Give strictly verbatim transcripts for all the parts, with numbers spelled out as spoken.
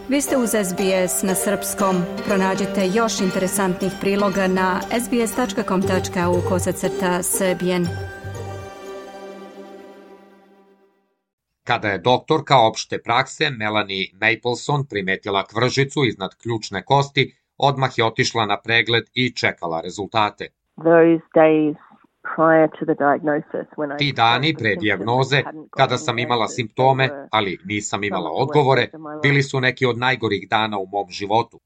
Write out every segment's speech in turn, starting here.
Vi ste uz S B S na srpskom. Pronađite još interesantnih priloga na sbs.com.au kosacrta srbijen. Kada je doktorka opšte prakse Melanie Mapleson primetila kvržicu iznad ključne kosti, odmah je otišla na pregled i čekala rezultate. Ti dani pre dijagnoze, kada sam imala simptome, ali nisam imala odgovore, bili su neki od najgorih dana u mom životu.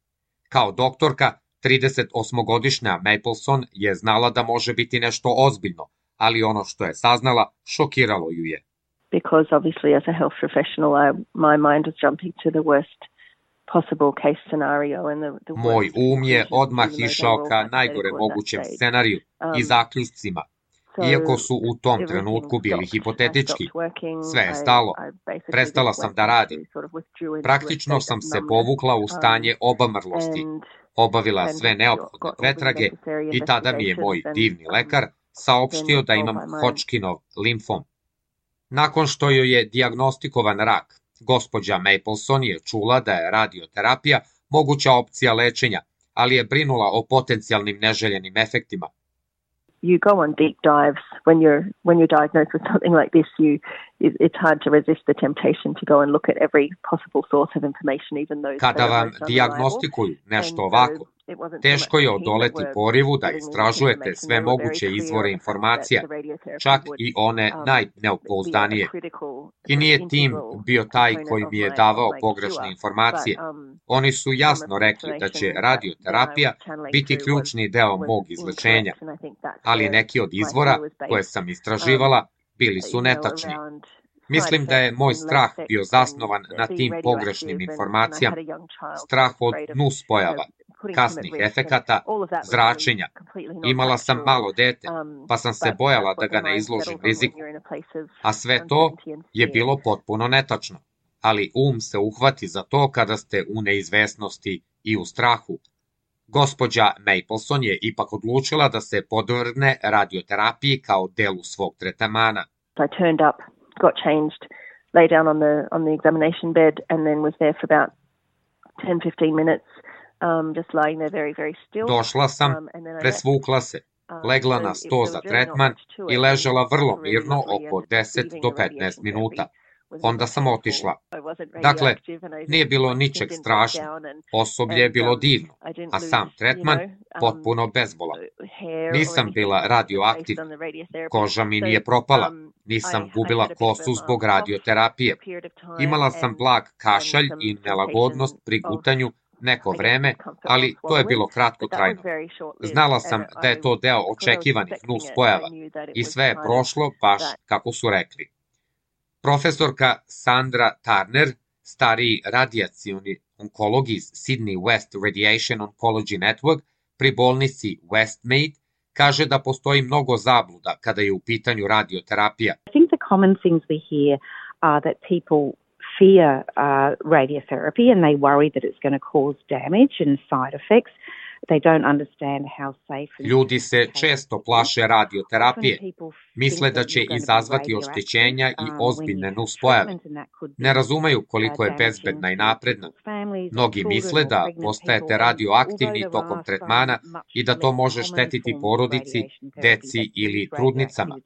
Kao doktorka, tridesetosmogodišnja Mapleson je znala da može biti nešto ozbiljno, ali ono što je saznala šokiralo ju je. Because obviously as a health professional, I, my mind was jumping to the worst possible case scenario and the, the Moj um je odmah išao ka najgore mogućem scenariju i zaključcima, iako su u tom trenutku bili hipotetički. Sve je stalo. Prestala sam da radim. Praktično sam se povukla u stanje obamrlosti, obavila sve neophodne pretrage i tada mi je moj divni lekar saopštio da imam Hodgkinov limfom. Nakon što joj je dijagnostikovan rak, gospođa Mapleson je čula da je radioterapija moguća opcija lečenja, ali je brinula o potencijalnim neželjenim efektima. You go on deep dives when you're when you're diagnosed with something like this. You it, it's hard to resist the temptation to go and look at every possible source of information, even though. Kada vam dijagnostikuju nešto ovako, teško je odoleti porivu da istražujete sve moguće izvore informacija, čak i one najnepouzdanije. I nije tim bio taj koji mi je davao pogrešne informacije. Oni su jasno rekli da će radioterapija biti ključni deo mog izlečenja, ali neki od izvora koje sam istraživala bili su netačni. Mislim da je moj strah bio zasnovan na tim pogrešnim informacijama, strah od nuspojava, kasnih efekata, zračenja. Imala sam malo dete, pa sam se bojala da ga ne izložim riziku. A sve to je bilo potpuno netačno. Ali um se uhvati za to kada ste u neizvesnosti i u strahu. Gospođa Mapleson je ipak odlučila da se podvrgne radioterapiji kao delu svog tretmana. I turned up, got changed, lay down on the on the examination bed and then was there for about ten to fifteen minutes. Um, just lying there very, very still. Došla sam, presvukla se, legla na sto za tretman i ležala vrlo mirno oko deset do petnaest minuta. Onda sam otišla. Dakle, nije bilo ničeg strašno, osoblje je bilo divno, a sam tretman potpuno bezbolan. Nisam bila radioaktivna, koža mi nije propala, nisam gubila kosu zbog radioterapije. Imala sam blag kašalj i nelagodnost pri gutanju neko vreme, ali to je bilo kratkotrajno. Znala sam da je to deo očekivanih nuspojava i sve je prošlo baš kako su rekli. Profesorka Sandra Turner, stariji radijacioni onkolog iz Sydney West Radiation Oncology Network pri bolnici Westmead, kaže da postoji mnogo zabluda kada je u pitanju radioterapija. I think the common things we hear are that people fear uh, radiotherapy and they worry that it's going to cause damage and side effects. They don't understand how safe. Ljudi se često plaše radioterapije. Misle da će izazvati oštećenja i ozbiljne nuspojave. Ne razumeju koliko je bezbedna i napredna. Mnogi misle da postajete radioaktivni tokom tretmana i da to može štetiti porodici, deci ili trudnicama.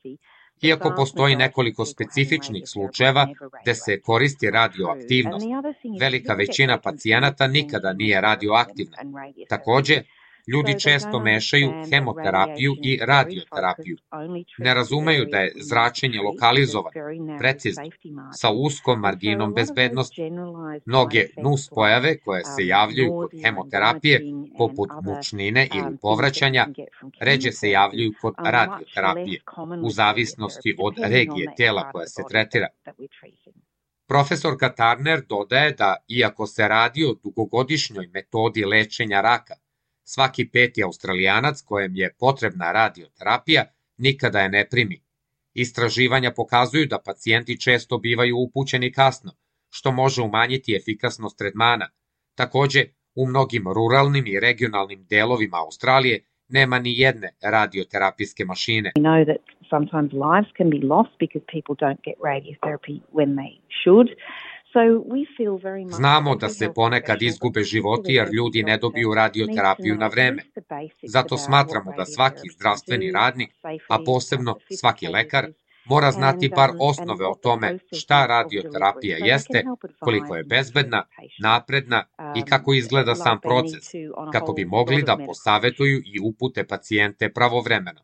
Iako postoji nekoliko specifičnih slučajeva gde se koristi radioaktivnost, velika većina pacijenata nikada nije radioaktivna. Takođe, ljudi često mešaju hemoterapiju i radioterapiju. Ne razumeju da je zračenje lokalizovano, precizno, sa uskom marginom bezbednosti. Mnoge nuspojave koje se javljaju kod hemoterapije, poput mučnine ili povraćanja, ređe se javljaju kod radioterapije, u zavisnosti od regije tela koja se tretira. Profesorka Turner dodaje da, iako se radi o dugogodišnjoj metodi lečenja raka, svaki peti Australijanac kojem je potrebna radioterapija nikada je ne primi. Istraživanja pokazuju da pacijenti često bivaju upućeni kasno, što može umanjiti efikasnost tretmana. Takođe, u mnogim ruralnim i regionalnim delovima Australije nema ni jedne radioterapijske mašine. We know that sometimes lives can be lost because people don't get radiotherapy when they should. Znamo da se ponekad izgube životi jer ljudi ne dobiju radioterapiju na vreme. Zato smatramo da svaki zdravstveni radnik, a posebno svaki lekar, mora znati bar osnove o tome šta radioterapija jeste, koliko je bezbedna, napredna i kako izgleda sam proces, kako bi mogli da posavetuju i upute pacijente pravovremeno.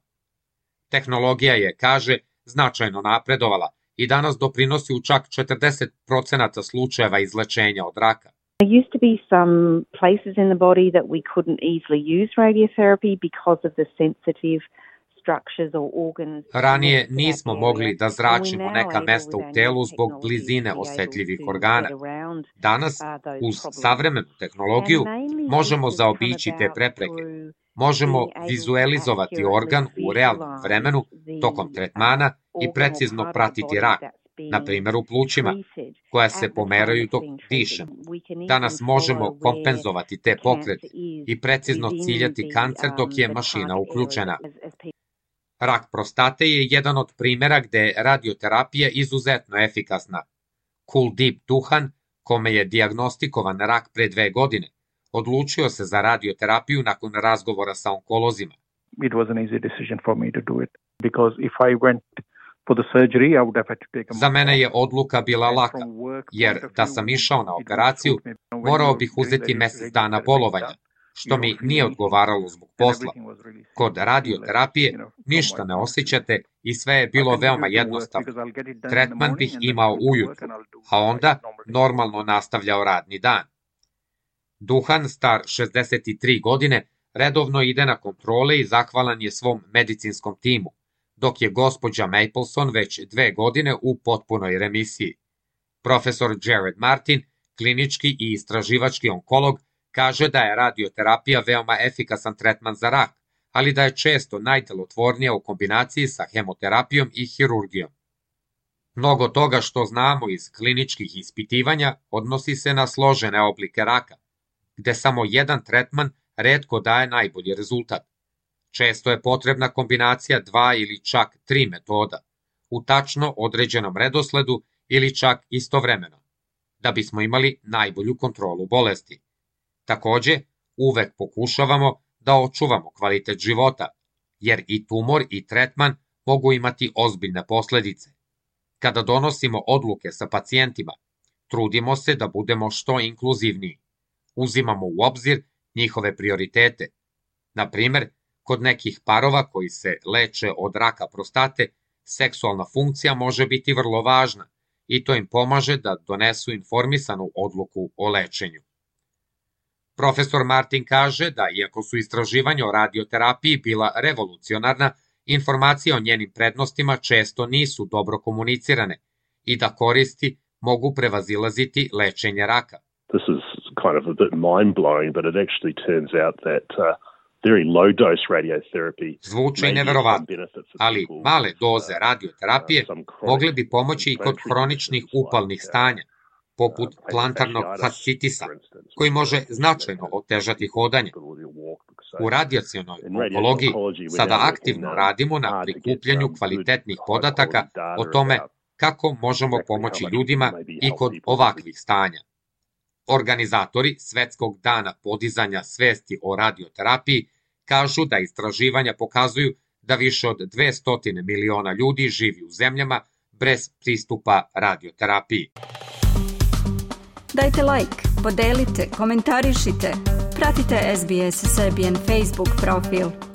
Tehnologija je, kaže, značajno napredovala i danas doprinosi u čak četrdeset procenata slučajeva izlečenja od raka. There used to be some places in the body that we couldn't easily use radiotherapy because of the sensitive structures or organs. Ranije nismo mogli da zračimo neka mesta u telu zbog blizine osetljivih organa. Danas, uz savremenu tehnologiju, možemo zaobići te prepreke. Možemo vizualizovati organ u realnom vremenu tokom tretmana i precizno pratiti rak, na primjer u plućima, koja se pomeraju dok dišemo. Danas možemo kompenzovati te pokrete i precizno ciljati kancer dok je mašina uključena. Rak prostate je jedan od primjera gde je radioterapija izuzetno efikasna. Kuldeep Dukhan, kome je dijagnostikovan rak pre dve godine, odlučio se za radioterapiju nakon razgovora sa onkolozima. It was an easy decision for me to do it because if I went for the surgery I would have had to take a Za mene je odluka bila laka, jer da sam išao na operaciju, morao bih uzeti mesec dana bolovanja, što mi nije odgovaralo zbog posla. Kod radioterapije ništa ne osjećate i sve je bilo veoma jednostavno. Tretman bih imao ujutru, a onda normalno nastavljao radni dan. Dukhan, star šezdeset tri godine, redovno ide na kontrole i zahvalan je svom medicinskom timu, dok je gospođa Mapleson već dve godine u potpunoj remisiji. Profesor Jared Martin, klinički i istraživački onkolog, kaže da je radioterapija veoma efikasan tretman za rak, ali da je često najdelotvornija u kombinaciji sa hemoterapijom i hirurgijom. Mnogo toga što znamo iz kliničkih ispitivanja odnosi se na složene oblike raka, gde samo jedan tretman retko daje najbolji rezultat. Često je potrebna kombinacija dva ili čak tri metoda, u tačno određenom redosledu ili čak istovremeno, da bismo imali najbolju kontrolu bolesti. Takođe, uvek pokušavamo da očuvamo kvalitet života, jer i tumor i tretman mogu imati ozbiljne posledice. Kada donosimo odluke sa pacijentima, trudimo se da budemo što inkluzivniji. Uzimamo u obzir njihove prioritete. Na primer, kod nekih parova koji se leče od raka prostate, seksualna funkcija može biti vrlo važna i to im pomaže da donesu informisanu odluku o lečenju. Profesor Martin kaže da, iako su istraživanja o radioterapiji bila revolucionarna, informacije o njenim prednostima često nisu dobro komunicirane i da koristi mogu prevazilaziti lečenje raka. This is kind of a bit mind-blowing, but it actually turns out that uh, very low-dose radiotherapy Zvuči neverovatno, ali male doze radioterapije mogle bi pomoći i kod hroničnih upalnih stanja, poput plantarnog fascitisa, koji može značajno otežati hodanje. U radijacionoj onkologiji sada aktivno radimo na prikupljanju kvalitetnih podataka o tome kako možemo pomoći ljudima i kod ovakvih stanja. Organizatori Svetskog dana podizanja svesti o radioterapiji kažu da istraživanja pokazuju da više od dvesta miliona ljudi živi u zemljama bez pristupa radioterapiji. Dajte like, podelite, komentarišite, pratite S B S Serbian Facebook profil.